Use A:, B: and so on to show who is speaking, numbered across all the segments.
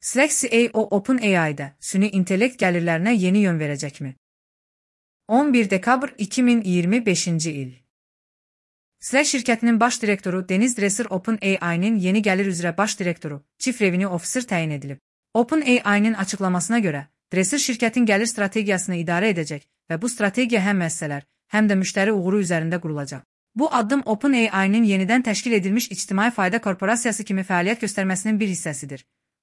A: Slack CEO OpenAI'da süni intellekt gəlirlərinə yeni yön verəcəkmi? 11 dekabr 2025 il. Slack şirkətinin baş direktoru Deniz Dresser OpenAI'nin yeni gəlir üzrə baş direktoru, Chief Revenue Officer təyin edilib. OpenAI'nin açıqlamasına görə, Dresser şirkətin gəlir strategiyasını idarə edəcək və bu strategiya həm müəssisələr, həm də müştəri uğuru üzərində qurulacaq. Bu addım OpenAI'nin yenidən təşkil edilmiş ictimai fayda korporasiyası kimi fəaliyyət göstərməsinin bir hissəsidir.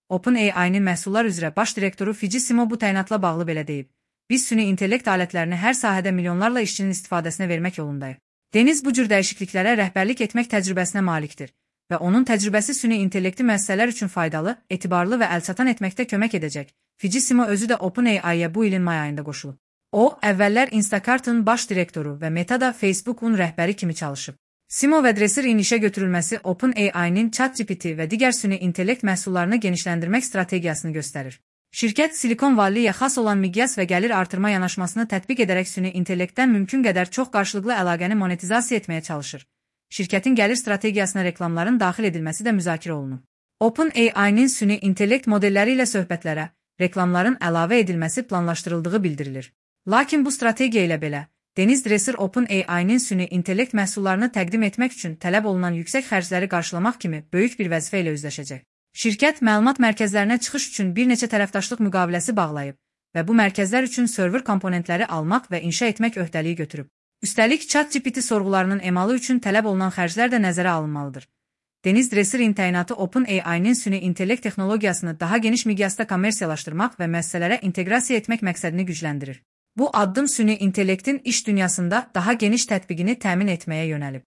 A: OpenAI'nin məhsullar üzrə baş direktoru Fiji Simo bu təyinatla bağlı belə deyib. Biz süni intellekt alətlərini hər sahədə milyonlarla işçinin istifadəsinə vermək yolundayıq. Deniz bu cür dəyişikliklərə rəhbərlik etmək təcrübəsinə malikdir və onun təcrübəsi süni intellekti müəssisələr üçün faydalı, etibarlı və əlçatan etməkdə kömək edəcək. Fiji Simo özü də OpenAI'ya bu ilin may ayında qoşulub. O, əvvəllər Instacart'ın baş direktoru və Meta'da Facebook'un rəhbəri kimi çalışıb. Simo və Dresser'in işə götürülməsi OpenAI'nin ChatGPT və digər süni intellekt məhsullarını genişləndirmək strategiyasını göstərir. Şirkət Silikon Valley'ə xas olan miqyas və gəlir artırma yanaşmasını tətbiq edərək süni intellektdən mümkün qədər çox qarşılıqlı əlaqəni monetizasiya etməyə çalışır. Şirkətin gəlir strategiyasına reklamların daxil edilməsi də müzakirə olunub. OpenAI'nin süni intellekt modelləri ilə söhbətlərə, reklamların əlavə edilməsi planlaşdırıldığı bildirilir. Lakin bu strategiya ilə belə, Deniz Dresser OpenAI'nin süni intellekt məhsullarını təqdim etmək üçün tələb olunan yüksək xərcləri qarşılamaq kimi böyük bir vəzifə ilə üzləşəcək. Şirkət məlumat mərkəzlərinə çıxış üçün bir neçə tərəfdaşlıq müqaviləsi bağlayıb və bu mərkəzlər üçün server komponentləri almaq və inşa etmək öhdəliyi götürüb. Üstəlik, ChatGPT sorğularının emalı üçün tələb olunan xərclər də nəzərə alınmalıdır. Deniz Dresser'in təyinatı OpenAI'nin süni intellekt texnologiyasını daha geniş miqyasda kommersiyalaşdırmaq və müəssisələrə inteqrasiya etmək məqsədini gücləndirir. Bu addım süni intellektin iş dünyasında daha geniş tətbiqini təmin etməyə yönəlib.